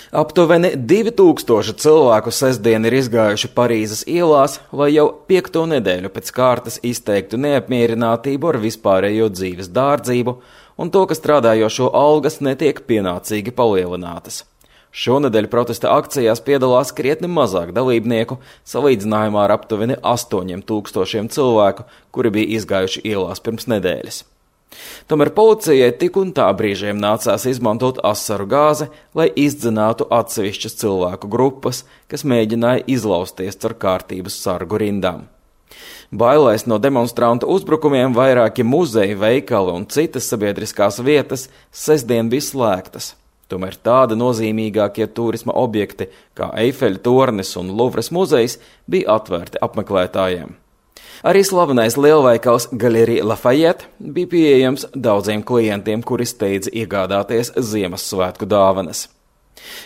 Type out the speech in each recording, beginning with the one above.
Aptuveni 2000 cilvēku sestdien ir izgājuši Parīzes ielās, lai jau 5. nedēļu pēc kārtas izteiktu neapmierinātību ar vispārējo dzīves dārdzību un to, ka strādājošo algas netiek pienācīgi palielinātas. Šonedēļ protesta akcijās piedalās krietni mazāk dalībnieku, salīdzinājumā ar aptuveni 8000 cilvēku, kuri bija izgājuši ielās pirms nedēļas. Tomēr policijai tik un tā brīžiem nācās izmantot asaru gāzi, lai izdzinātu atsevišķas cilvēku grupas, kas mēģināja izlausties caur kārtības sargu rindām. Bailēs no demonstrantu uzbrukumiem vairāki muzeji, veikali un citas sabiedriskās vietas sestdien bija slēgtas. Tomēr tādi nozīmīgākie turisma objekti kā Eifeļa tornis un Luvras muzejs bija atvērti apmeklētājiem. Arī slavenais lielveikals Galerie Lafayette bija pieejams daudziem klientiem, kuri steidza iegādāties Ziemassvētku dāvanas.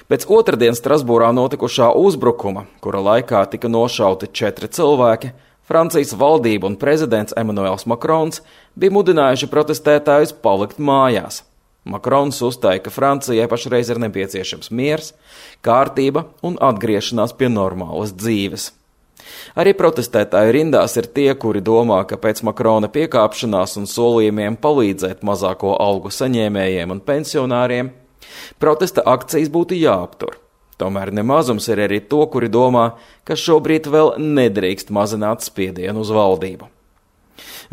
Pēc otrdien Strasbūrā notikušā uzbrukuma, kura laikā tika nošauti 4 cilvēki, Francijas valdība un prezidents Emmanuels Macrons bija mudinājuši protestētājus palikt mājās. Macrons uzstāja, ka Francijai pašreiz ir nepieciešams miers, kārtība un atgriešanās pie normālas dzīves. Arī protestētāju rindās ir tie, kuri domā, ka pēc Makrona piekāpšanās un solījumiem palīdzēt mazāko algu saņēmējiem un pensionāriem, protesta akcijas būtu jāaptur. Tomēr nemazums ir arī to, kuri domā, ka šobrīd vēl nedrīkst mazināt spiedienu uz valdību.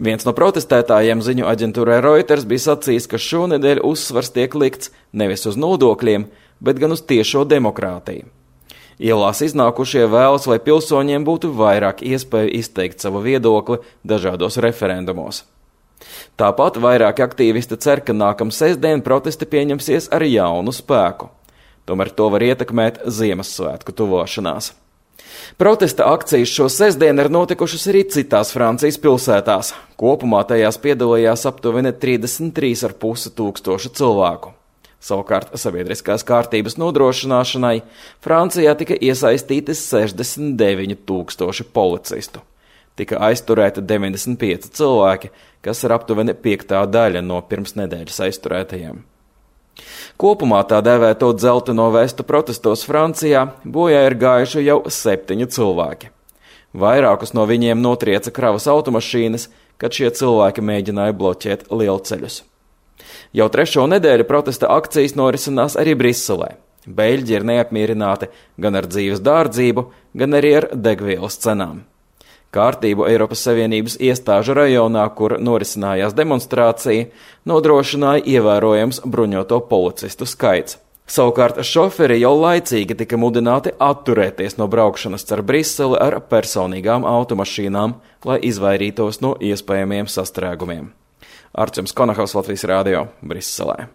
Viens no protestētājiem ziņu aģentūrai Reuters bija sacījis, ka šonedēļ uzsvars tiek likts nevis uz nodokļiem, bet gan uz tiešo demokrātiju. Ielās iznākušie vēlas, lai pilsoņiem būtu vairāk iespēju izteikt savu viedokli dažādos referendumos. Tāpat vairāki aktīvisti cer, ka nākamā sestdien protesti pieņemsies ar jaunu spēku. Tomēr to var ietekmēt Ziemassvētku tuvošanās. Protesta akcijas šo sestdienu ir notikušas arī citās Francijas pilsētās. Kopumā tajās piedalījās aptuveni 33,5 tūkstoši cilvēku. Savukārt sabiedriskās kārtības nodrošināšanai Francijā tika iesaistīti 69 000 policistu. Tika aizturēti 95 cilvēki, kas ir aptuveni 5. daļa no pirms nedēļas aizturētajiem. Kopumā tā dēvēto dzelteno vestu protestos Francijā bojā ir gājuši jau 7 cilvēki. Vairākus no viņiem notrieca kravas automašīnas, kad šie cilvēki mēģināja bloķēt lielceļus. Jau 3. nedēļu protesta akcijas norisinās arī Briselē. Beļģi ir neapmierināti gan ar dzīves dārdzību, gan arī ar degvielas cenām. Kārtību Eiropas Savienības iestāžu rajonā, kur norisinājās demonstrācija, nodrošināja ievērojams bruņoto policistu skaits. Savukārt šoferi jau laicīgi tika mudināti atturēties no braukšanas caur Briseli ar personīgām automašīnām, lai izvairītos no iespējamiem sastrēgumiem. Arčuns Konahaus, Latvijas Rādio, Briselē.